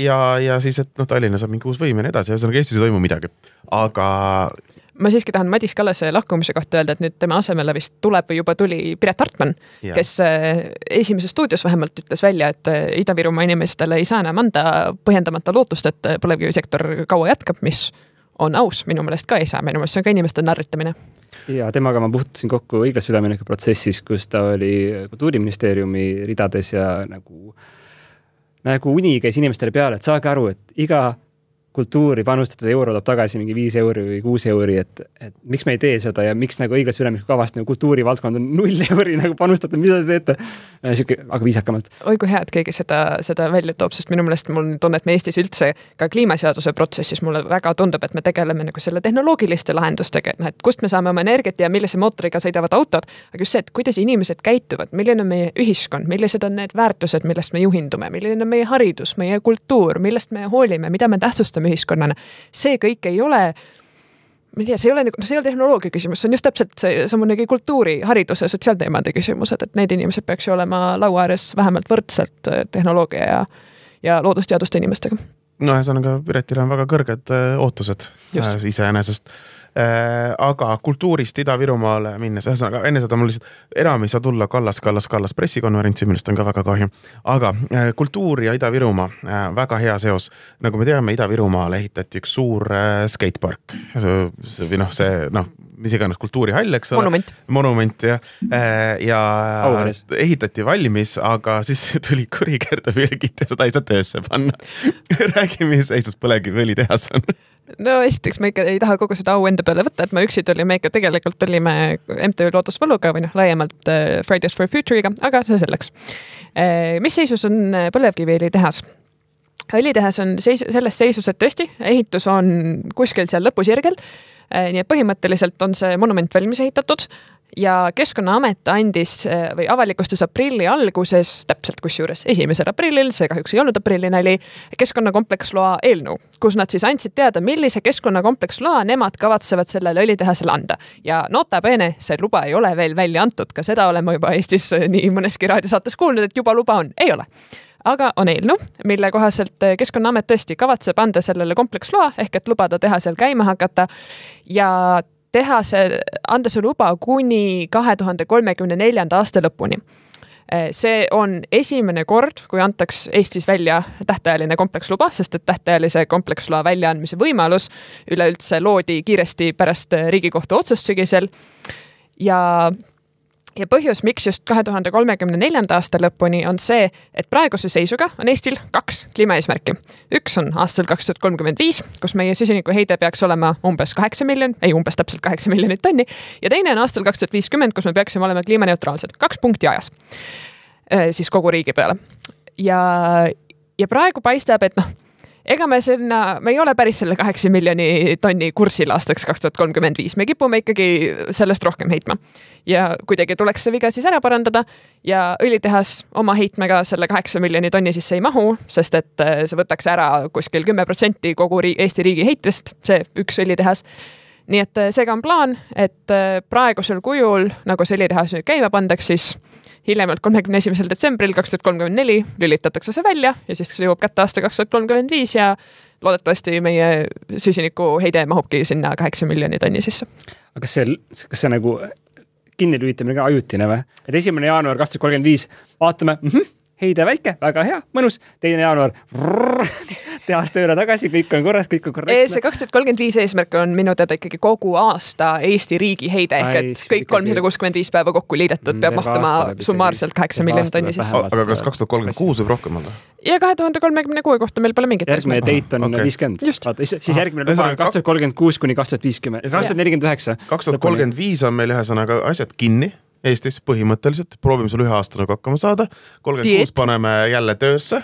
Ja siis, et Tallinnas on mingi uus võim ja nii edasi, ühesõnaga Eestis ei toimu midagi. Aga ma siiski tahan Madis Kallase lahkumise kohta öelda, et nüüd tema asemele vist tuleb või juba tuli Piret Hartman, kes esimeses stuudios vähemalt ütles välja, et Ida-Virumaa inimestele ei saa enam anda põhjendamata lootust, et põlevkivisektor kaua jätkab, mis on aus, minu meelest ka ei saa, minu meelest see on ka inimeste narritamine. Ja temaga ma puhtusin kokku õiglase ülemineku protsessis, kus ta oli Kultuuriministeeriumi ridades ja nagu uni käis inimestele peale, et saage aru, et iga kultuuri panustatud euro toob tagasi mingi 5 euri või 6 euri, et miks me ei tee seda ja miks nagu õiglase ülemineku kavast nagu kultuurivaldkond on 0 euri nagu panustatud, mida te teete? Aga viisakamalt. Oi, kui hea, et keegi seda välja toob, sest minu meelest mul tunne, et me Eestis üldse ka kliimaseaduse protsessis mulle väga tundub, et me tegeleme nagu selle tehnoloogiliste lahendustega, et kust me saame oma energiat ja millise mootoriga sõidavad autod, aga just see, et kuidas inimesed käituvad, milline on meie ühiskond, millised on need väärtused, millest me juhindume, milline on meie haridus, meie kultuur, millest me hoolime, mida me tähtsustame ühiskonnana. See kõik ei ole, ma ei tea, see ei ole tehnoloogia küsimus, see on just täpselt see samunegi kultuuri, hariduse, sotsiaalteemade küsimused, et need inimesed peaks ju olema laua ääres vähemalt võrdselt tehnoloogia ja loodusteaduste inimestega. No ühesõnaga Piretile on väga kõrged ootused iseenesest. Aga kultuurist Ida-Virumaale minnes, ühesõnaga enne seda mul lihtsalt enam ei saa tulla Kallas pressikonverentsi, millest on ka väga kahju. Aga kultuur ja Ida-Virumaa, väga hea seos. Nagu me teame, Ida-Virumaale ehitati üks suur skatepark. Või mis iganes kultuurihall, eks ole? Monument, ja ehitati valmis, aga siis tuli kuri Kertu Birgit ja seda ei saa töösse panna. Räägi, mis seisus põlevkiviõli tehas on. No esiteks me ikka ei taha kogu seda au enda peale võtta, et me üksi tulime ikka tegelikult olime MTÜ Loodusvaluga või laiemalt Fridays for Future'iga, aga see selleks. Mis seisus on põlevkiviõli tehas? Õlitehas on selles seisus, et tõesti, ehitus on kuskil seal lõpusirgel, nii et põhimõtteliselt on see monument valmis ehitatud ja Keskkonnaamet andis või avalikustas aprilli alguses, täpselt kusjuures 1. aprillil, see kahjuks ei olnud aprillinali, keskkonnakompleksloa eelnõu, kus nad siis andsid teada, millise keskkonnakompleksloa nemad kavatsevad sellele õlitehasele anda. Ja nota bene, see luba ei ole veel välja antud, ka seda oleme juba Eestis nii mõneski raadiosaates kuulnud, et juba luba on, ei ole. Aga on eelnõu, mille kohaselt Keskkonnaamet tõesti kavatseb anda sellele kompleksloa, ehk et lubada tehasel käima hakata ja anda see luba kuni 2034. aasta lõpuni. See on esimene kord, kui antaks Eestis välja tähtajaline kompleksluba, sest et tähtajalise kompleksloa väljaandmise võimalus üleüldse loodi kiiresti pärast Riigikohtu otsust sügisel ja põhjus, miks just 2034. aasta lõpuni on see, et praeguse seisuga on Eestil 2 kliimaeesmärki. Üks on aastal 2035, kus meie süsiniku heide peaks olema umbes 8 miljonit tonni ja teine on aastal 2050, kus me peaksime olema kliimaneutraalsed. 2 punkti ajas siis kogu riigi peale. Ja praegu paistab, et ega me ei ole päris selle 8 miljoni tonni kursil aastaks 2035. Me kipume ikkagi sellest rohkem heitma. Ja kuidagi tuleks see viga siis ära parandada ja õlitehas oma heitmega selle 8 miljoni tonni sisse ei mahu, sest et see võtaks ära kuskil 10% kogu Eesti riigi heitest, see üks õlitehas. Nii et seega on plaan, et praegusel kujul, nagu see õlitehas nüüd käima pandaks, siis hiljemalt 31. detsembril 2034 lülitatakse see välja ja siis see jõuab kätte aasta 2035 ja loodetavasti meie süsiniku heide mahubki sinna 8 miljoni tonni sisse. Aga kas see nagu kinni lülitamine ka ajutine või? Et 1. jaanuar 2035 vaatame, heide väike, väga hea, mõnus. 2. jaanuar tehas tööle tagasi, kõik on korras, kõik on korrektne. See 2035 eesmärk on minu teada ikkagi kogu aasta Eesti riigi heide ehk et kõik 365 päeva kokku liidetud peab mahtama summaarselt 8 miljoni tonni sisse. Aga kas 2036 võib rohkem olla? Ja 2036 kohta meil pole mingit järgmine teit on 50. Siis järgmine luba on 2036 kuni 2050. 2049. 2035 on meil ühesõnaga asjad kinni Eestis põhimõtteliselt. Proovime sul 1 aasta nagu hakkama saada. 36 paneme jälle töösse.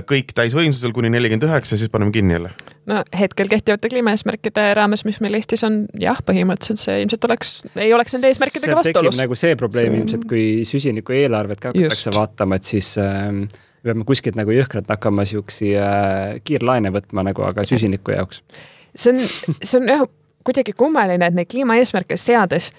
Kõik täisvõimsusel kuni 49 ja siis paneme kinni jälle. No hetkel kehtivate kliimaeesmärkide raames, mis meil Eestis on, jah, põhimõtteliselt see ilmselt ei oleks nende eesmärkidega vastuolus. See tekib nagu see probleem ilmselt, kui süsiniku eelarvet ka hakatakse vaatama, et siis peame kuskilt nagu jõhkralt hakkama siuksi kiirlaene võtma nagu, aga süsiniku jaoks. See on jah, kuidagi kummaline, et neid kliimaeesmärke seades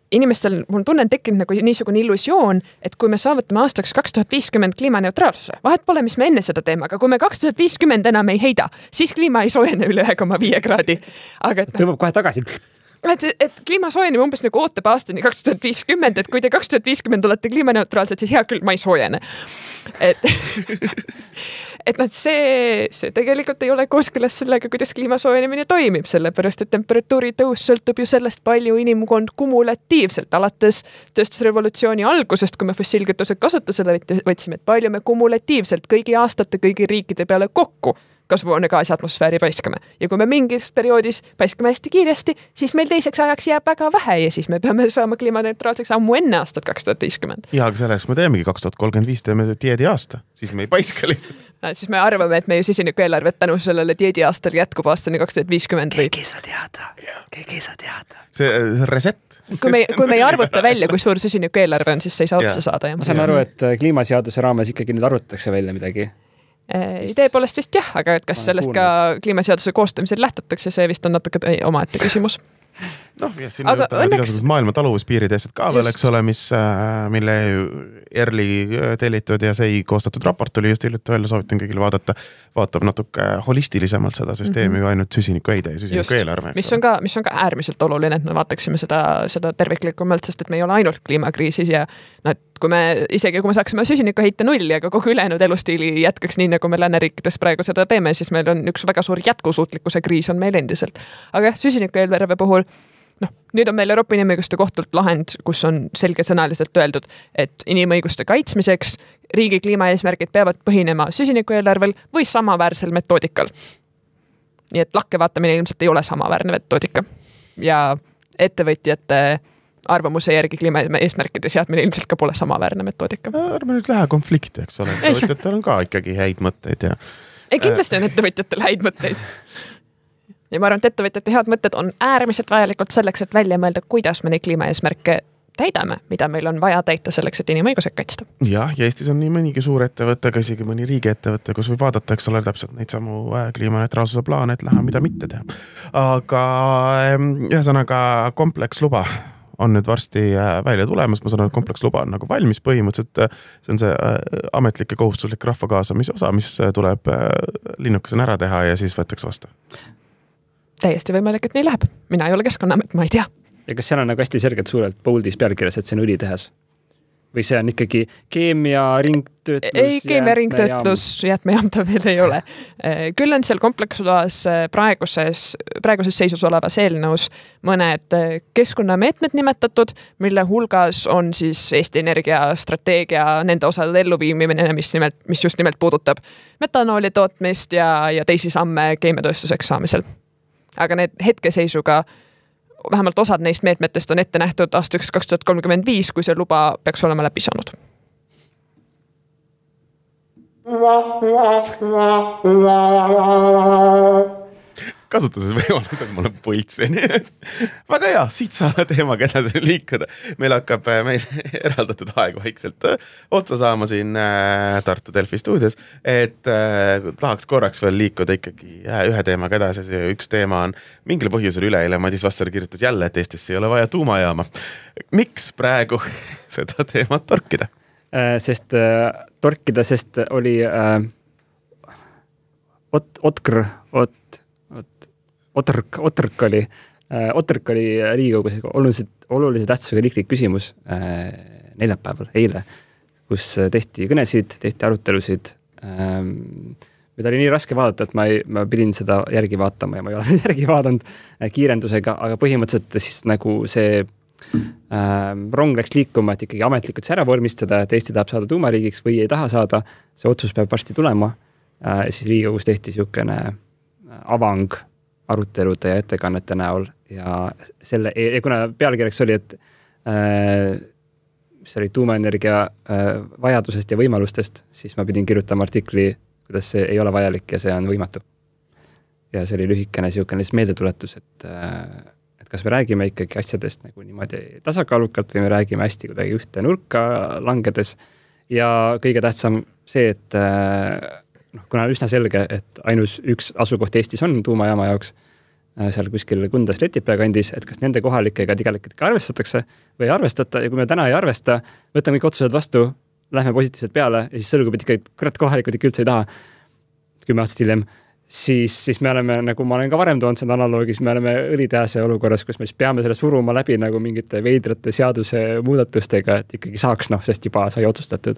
inimestel, mul tunnen tekkinud nagu niisugune illusioon, et kui me saavutame aastaks 2050 kliimaneutraalsuse, vahet pole, mis me enne seda teeme, aga kui me 2050 enam ei heida, siis kliima ei soojene üle 1,5 kraadi. Tõmbab kohe tagasi. Et kliima soojeneb umbes nagu ootab aastani 2050, et kui te 2050 olete kliimaneutraalsed, siis hea küll, ma ei soojene. et see tegelikult ei ole kooskõlas sellega, kuidas kliima soojenemine toimib, sellepärast et temperatuuri tõus sõltub ju sellest, palju inimkond kumulatiivselt alates tööstusrevolutsiooni algusest, kui me fossiilkütused kasutusele võtsime, et palju me kumulatiivselt kõigi aastate, kõigi riikide peale kokku kasvuhoonegaasi atmosfääri paiskame. Ja kui me mingis perioodis paiskame hästi kiiresti, siis meil teiseks ajaks jääb väga vähe ja siis me peame saama kliimaneutraalseks ammu enne aastat 2050. Ja, aga selleks me teemegi 2035, teeme dieedi aasta, siis me ei paiska lihtsalt. Siis me arvame, et meie süsiniku eelarvet tänu sellele dieedi aastal jätkub aastani 2050. Keegi sa teada. See reset. Kui me ei arvuta välja, kui suur süsiniku eelarve on, siis see ei saa otsa saada. Ma saan aru, et kliimaseaduse raames ikkagi nüüd arvutatakse välja midagi. Idee poolest vist jah, aga et kas sellest ka kliimaseaduse koostamisel lähtutakse, see vist on natuke omaette küsimus. Ja siin on igasugused maailma taluvuspiirid eest ka veel, eks ole, mille ERLi tellitud ja see koostatud raport oli just hiljuti välja, soovitan kõigile vaadata, vaatab natuke holistilisemalt seda süsteemi kui ainult süsiniku heide ja süsiniku eelarve. Mis on ka äärmiselt oluline, et me vaataksime seda terviklikumalt, sest et me ei ole ainult kliimakriisis ja kui me saaksime süsiniku heite nulli, aga kogu ülejäänud elustiili jätkaks nii, nagu me lääneriikides praegu seda teeme, siis meil on üks väga suur jätkusuutlikkuse kriis on meil endiselt. Aga süsiniku eelarve puhul nüüd on meil Euroopa Inimõiguste Kohtult lahend, kus on selgesõnaliselt öeldud, et inimõiguste kaitsmiseks riigi kliimaeesmärgid peavad põhinema süsiniku eelarvel või samaväärsel metoodikal. Nii et lakkevaatamine ilmselt ei ole samaväärne metoodika. Ja ettevõtjate arvamuse järgi kliimaeesmärkide seadmine ilmselt ka pole samaväärne metoodika. Ärme nüüd lähe konflikti, eks ole. Ettevõtjatel on ka ikkagi häid mõtteid. Kindlasti on ettevõtjatel häid mõtteid. Ja ma arvan, et ettevõtjate head mõtted on äärmiselt vajalikult selleks, et välja mõelda, kuidas me neid kliimaeesmärke täidame, mida meil on vaja täita selleks, et inimõigused kaitsta. Ja Eestis on nii mõnigi suur ettevõte, ka isegi mõni riigiettevõte, kus võib vaadata, eks ole, täpselt neid samu kliimaneutraalsuse plaane, et lähe mida mitte teha. Aga ühesõnaga kompleksluba on nüüd varsti välja tulemas, ma saan aru, et kompleksluba on nagu valmis põhimõtteliselt, see on see ametlik ja kohustuslik rahva kaasamise osa, mis tuleb linnukesena ära teha ja siis võetakse vastu. Täiesti võimalik, et nii läheb. Mina ei ole Keskkonnaamet, ma ei tea. Ja kas seal on nagu hästi selgelt suurelt boldis pealkirjas, et see on õlitehas? Või see on ikkagi keemia ringtöötlus? Ei, keemia ringtöötlus, jäätmejaam ta veel ei ole. Küll on seal kompleksluas praeguses seisus olevas eelnõus mõned keskkonnameetmed nimetatud, mille hulgas on siis Eesti Energia strateegia nende osade elluviimine, mis just nimelt puudutab metanooli tootmist ja teisi samme keemiatööstuseks saamisel. Aga need hetkeseisuga, vähemalt osad neist meetmetest on ette nähtud aastaks 2035, kui see luba peaks olema läbi saanud. Kasutades võimalust, et ma olen pultsin. Väga hea, siit saame teemaga edasi liikuda. Meil hakkab meil eraldatud aeg vaikselt otsa saama siin Tartu Delfi stuudios, et tahaks korraks veel liikuda ikkagi ühe teemaga edasi. Üks teema on mingil põhjusel üleeile Madis Vasser kirjutas jälle, et Eestisse ei ole vaja tuumajaama. Miks praegu seda teemat torkida? Torkida, sest oli Otrk oli Riigikogus olulise tähtsusega riiklik küsimus neljapäeval, eile, kus tehti kõnesid, tehti arutelusid, mida oli nii raske vaadata, et ma pidin seda järgi vaatama ja ma ei ole järgi vaadanud kiirendusega, aga põhimõtteliselt siis nagu see rong läks liikuma, et ikkagi ametlikult see ära vormistada, et Eesti tahab saada tuumariigiks või ei taha saada, see otsus peab varsti tulema. Siis Riigikogus tehti niisugune avang arutelude ja ettekannete näol ja kuna pealkirjaks oli, et mis oli tuumaenergia vajadusest ja võimalustest, siis ma pidin kirjutama artikli, kuidas see ei ole vajalik ja see on võimatu. Ja see oli lühikene niisugune meeldetuletus, et kas me räägime ikkagi asjadest nagu niimoodi tasakaalukalt või me räägime hästi kuidagi ühte nurka langedes ja kõige tähtsam see, et kuna on üsna selge, et ainus üks asukoht Eestis on tuumajaama jaoks seal kuskil Kundas Letipea kandis, et kas nende kohalikega tegelikult arvestatakse või ei arvestata ja kui me täna ei arvesta, võtame kõik otsused vastu, lähme positiivselt peale ja siis selgub, et ikka kohalikud ikka üldse ei taha 10 aastat hiljem, siis me oleme, nagu ma olen ka varem toonud seda analoogis, me oleme õlitehase olukorras, kus me siis peame selle suruma läbi nagu mingite veidrate seaduse muudatustega, et ikkagi saaks, sest juba sai otsustatud.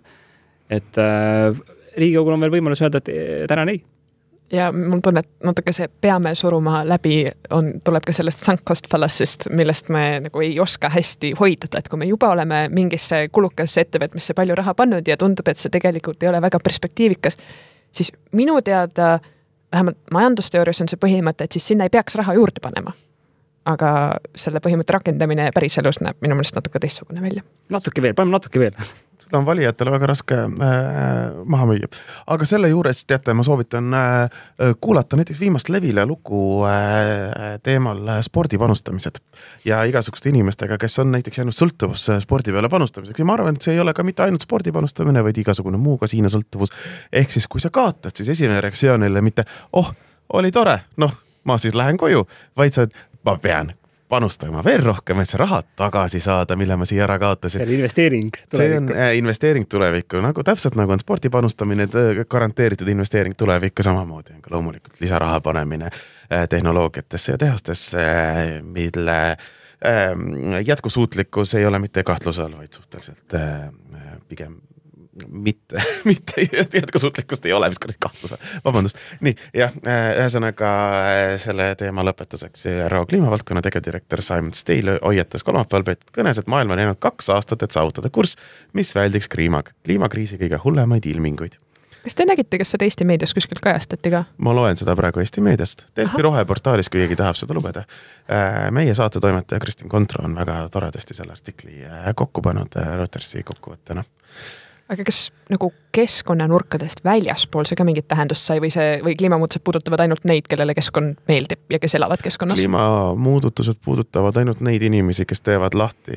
Et Riigikogul on veel võimalus öelda, et tänan ei. Ja mul tunne, et natuke see peame suruma läbi tuleb ka sellest sunk cost fallacy'st, millest me nagu ei oska hästi hoiduda, et kui me juba oleme mingisse kulukasse ettevõtmisse palju raha pannud ja tundub, et see tegelikult ei ole väga perspektiivikas, siis minu teada vähemalt majandusteoorias on see põhimõte, et siis sinna ei peaks raha juurde panema. Aga selle põhimõtte rakendamine päriselus näeb minu meelest natuke teistsugune välja. Paneme natuke veel. Seda on valijatele väga raske maha müüa. Aga selle juures, teate, ma soovitan kuulata näiteks viimast Levile lugu teemal spordipanustamised ja igasuguste inimestega, kes on näiteks jäänud sõltuvus spordi peale panustamiseks. Ja ma arvan, et see ei ole ka mitte ainult spordi panustamine, vaid igasugune muu kasiine sõltuvus. Ehk siis, kui sa kaotad, siis esimene reaktsioonile mitte, oli tore, ma siis lähen koju, vaid sa ma pean panustama veel rohkem, et see raha tagasi saada, mille ma siia ära kaotasin. See on investeering tulevikku. See on investeering tulevikku, täpselt nagu on spordi panustamine, garanteeritud investeering tulevikku samamoodi. Loomulikult lisaraha panemine tehnoloogiatesse ja tehastesse, mille jätkusuutlikkus ei ole mitte kahtluse all, vaid suhteliselt pigem mitte jätkusuutlikkust ei ole, mis kõrd kahtluse. Vabandust. Nii, jah, ühesõnaga selle teema lõpetuseks ÜRO kliimavaldkonna tegevdirektor Simon Stale hoiatas kolmapäeval peetud kõnes, et maailm on jäänud 2 aastat, et saavutada kurss, mis väldiks kliimakriisi kõige hullemaid ilminguid. Kas te nägite, kas seda Eesti meedias kuskilt kajastati ka? Ma loen seda praegu Eesti meediast. Delfi roheportaalis, kui keegi tahab seda lugeda. Meie saatetoimetaja Kristin Kontro on väga toredasti selle artikli kokku pannud Reutersi kokkuvõttena. Aga kas nagu keskkonnanurkadest väljaspool see ka mingit tähendust sai või kliimamuutused puudutavad ainult neid, kellele keskkond meeldib ja kes elavad keskkonnas? Kliimamuudatused puudutavad ainult neid inimesi, kes teevad lahti,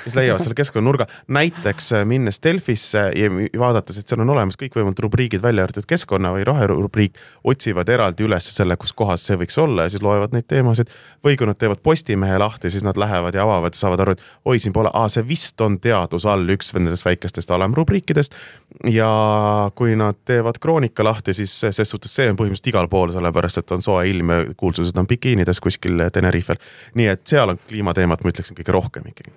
kes leiavad selle keskkonnanurga. Näiteks minnes Delfisse ja vaadates, et seal on olemas kõikvõimalt rubriigid välja arvatud keskkonna või roherubriik, otsivad eraldi üles selle, kus kohas see võiks olla ja siis loevad neid teemasid. Või kui nad teevad Postimehe lahti, siis nad lähevad ja avavad ja saavad aru, et siin pole, see vist on teadus all üks nendest väikestest alamrubriikidest. Ja kui nad teevad Kroonika lahti, siis ses suhtes see on põhimõtteliselt igal pool, sellepärast, et on soe ilm ja kuulsused on bikiinides kuskil Tenerifel. Nii et seal on kliimateemat, ma ütleksin, kõige rohkem ikkagi.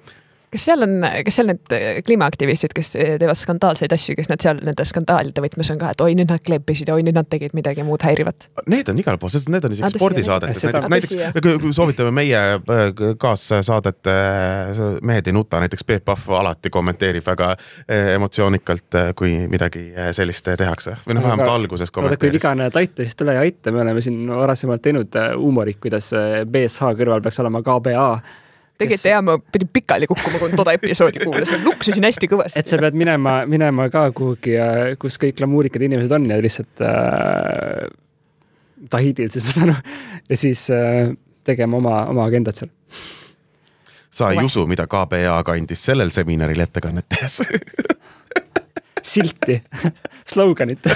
Kas seal need kliimaaktivistid, kes teevad skandaalseid asju, kes nad seal nende skandaalide võtmes on ka, et nüüd nad kleppisid ja nüüd nad tegid midagi muud häirivat? Need on igal pool, sest need on isegi spordisaadetes. Näiteks kui soovitame meie kaassaadet Mehed ei nuta, näiteks Peep Pahv alati kommenteerib väga emotsioonikalt, kui midagi sellist tehakse. Või vähemalt alguses kommenteeris. Kui vigane taita, siis tule ja aita. Me oleme siin varasemalt teinud huumorit, kuidas BSH kõrval peaks olema KBA. Tegelikult ma pidin pikali kukkuma, kui toda episoodi kuulas. Luksusin hästi kõvasti. Et sa pead minema ka kuhugi, kus kõik glamuurikad inimesed on ja lihtsalt Tahidil, siis ma saan ja siis tegema oma agendat seal. Sa ei usu, mida KBA kandis sellel seminaril ettekannet tehes. Silti, sloganit.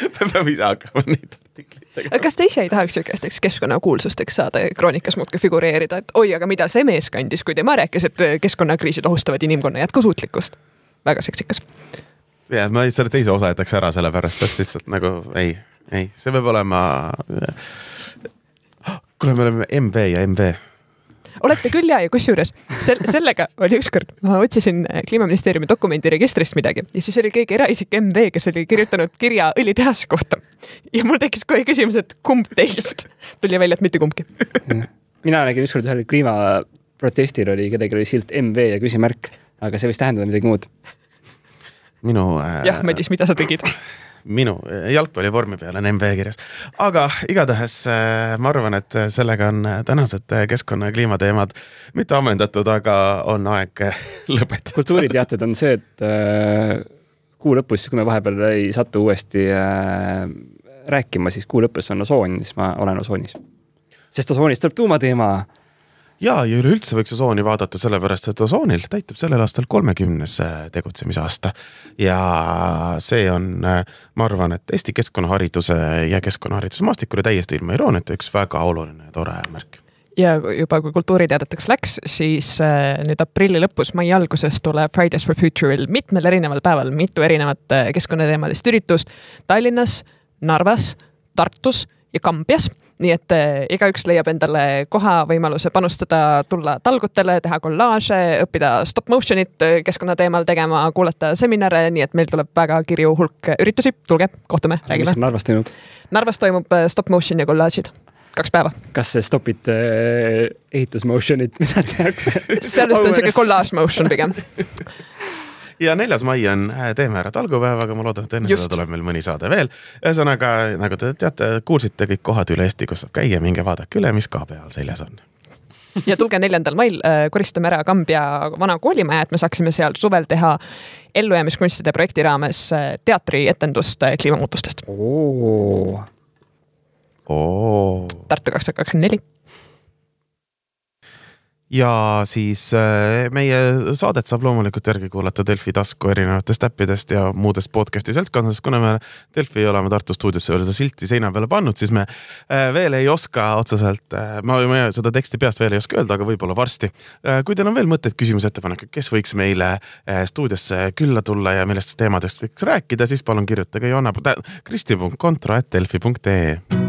Me peame ise hakkama neid artikleid. Kas te ise ei tahaks sükesteks keskkonnakuulsusteks saada Kroonikas muudki figureerida, et aga mida see mees kandis, kui tema rääkis, et keskkonnakriisid ohustavad inimkonna jätkusuutlikkust? Väga seksikas. Ja, ma selle teise osa jätaks ära selle pärast, et lihtsalt nagu ei, see peab olema kuule, me oleme MV ja MV. Olete küll ja kusjuures sellega oli ükskord, ma otsisin Kliimaministeeriumi dokumendiregistrist midagi ja siis oli keegi eraisik MV, kes oli kirjutanud kirja õlitehase kohta. Ja mul tekkis kohe küsimus, et kumb teist? Tuli välja, et mitte kumbki. Mina nägin ükskord ühel kliimaprotestil oli kedagi oli silt MV ja küsimärk, aga see võis tähendada midagi muud. Jah, Madis, mida sa tegid? Minu jalgpallivormi peal on MV kirjas. Aga igatahes ma arvan, et sellega on tänased keskkonna- ja kliimateemad mitte ammendatud, aga on aeg lõpetada. Kultuuriteated on see, et kuu lõpus, kui me vahepeal ei satu uuesti rääkima, siis kuu lõpus on osoon, siis ma olen osoonis. Sest osoonist tuleb tuumateema. Ja üleüldse võiks osooni vaadata sellepärast, et osoonil täitub sellel aastal 30. tegutsemisaasta. Ja see on, ma arvan, et Eesti keskkonnahariduse ja keskkonnahariduse maastikule täiesti ilma irooniata üks väga oluline ja tore märk. Ja juba kui kultuuriteadeteks läks, siis nüüd aprilli lõpus, mai alguses tuleb Fridays for Future'il mitmel erineval päeval mitu erinevat keskkonnateemalist üritust Tallinnas, Narvas, Tartus ja Kambjas. nii et igaüks leiab endale koha võimaluse panustada, tulla talgutele, teha kollaaže, õppida stop motionit keskkonnateemal tegema, kuulata seminare, nii et meil tuleb väga kirju hulk üritusi. Tulge, kohtume, räägime. Mis Narvas toimub? Narvas toimub stop motion ja kollaažid. 2 päeva. Kas see stopid ehitusmotionit, mida tehakse? Sellest on selline kollaaž motion pigem. Ja 4. mai on Teeme ära talgupäev, aga ma loodan, et enne seda tuleb meil mõni saade veel. Ühesõnaga, nagu te teate, kuulsite kõik kohad üle Eesti, kus saab käia, minge vaadake üle, mis KB all seljas on. Ja tulge 4. mail, koristame ära Kambja vana koolimaja, et me saaksime seal suvel teha ellujäämiskunstide projekti raames teatrietendust kliimamuutustest. Tartu 2024. Ja siis meie saadet saab loomulikult järgi kuulata Delfi tasku erinevatest äppidest ja muudest podcasti seltskondadest. Kuna me Delfi ei oleme Tartu stuudiosse veel seda silti seina peale pannud, siis me veel ei oska otseselt, ma seda teksti peast veel ei oska öelda, aga võib-olla varsti. Kui teil on veel mõtteid, küsimus, ettepanek, kes võiks meile stuudiosse külla tulla ja millest teemadest võiks rääkida, siis palun kirjutage Kristi.kontro@delfi.ee